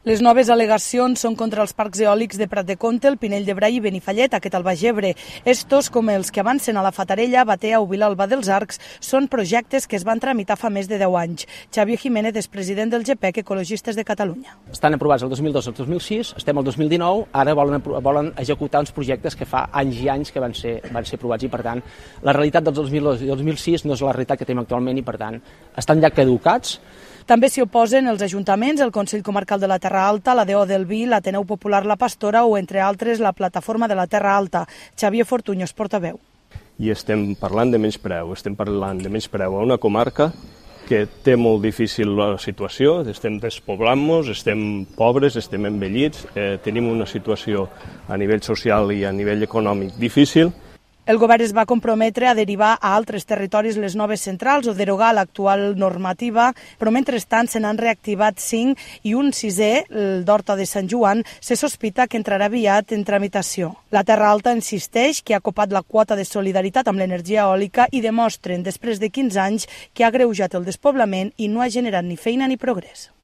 Les noves al·legacions són contra els parcs eòlics de Prat de Comte, el Pinell de Brai i Benifallet, aquest al Baix Ebre. Estos, com els que avancen a la Fatarella, Batea o Vilalba dels Arcs, són projectes que es van tramitar fa més de 10 anys. Xavier Jiménez és president del GPEC Ecologistes de Catalunya. Estan aprovats el 2002 i el 2006, estem al 2019, ara volen executar uns projectes que fa anys i anys que van ser aprovats i, per tant, la realitat del 2002 i 2006 no és la realitat que tenim actualment i, per tant, estan ja caducats. També s'hi oposen els ajuntaments, el Consell Comarcal de la Terra Alta, la DO del Vi, l'Ateneu Popular La Pastora o, entre altres, la Plataforma de la Terra Alta. Xavier Fortuño és portaveu. I estem parlant de menyspreu a una comarca que té molt difícil la situació, estem despoblant-nos, estem pobres, estem envellits, tenim una situació a nivell social i a nivell econòmic difícil. El govern es va comprometre a derivar a altres territoris les noves centrals o derogar l'actual normativa, però mentrestant se n'han reactivat 5 i un 6è, el d'Horta de Sant Joan, se sospita que entrarà aviat en tramitació. La Terra Alta insisteix que ha copat la quota de solidaritat amb l'energia eòlica i demostren, després de 15 anys, que ha agreujat el despoblament i no ha generat ni feina ni progrés.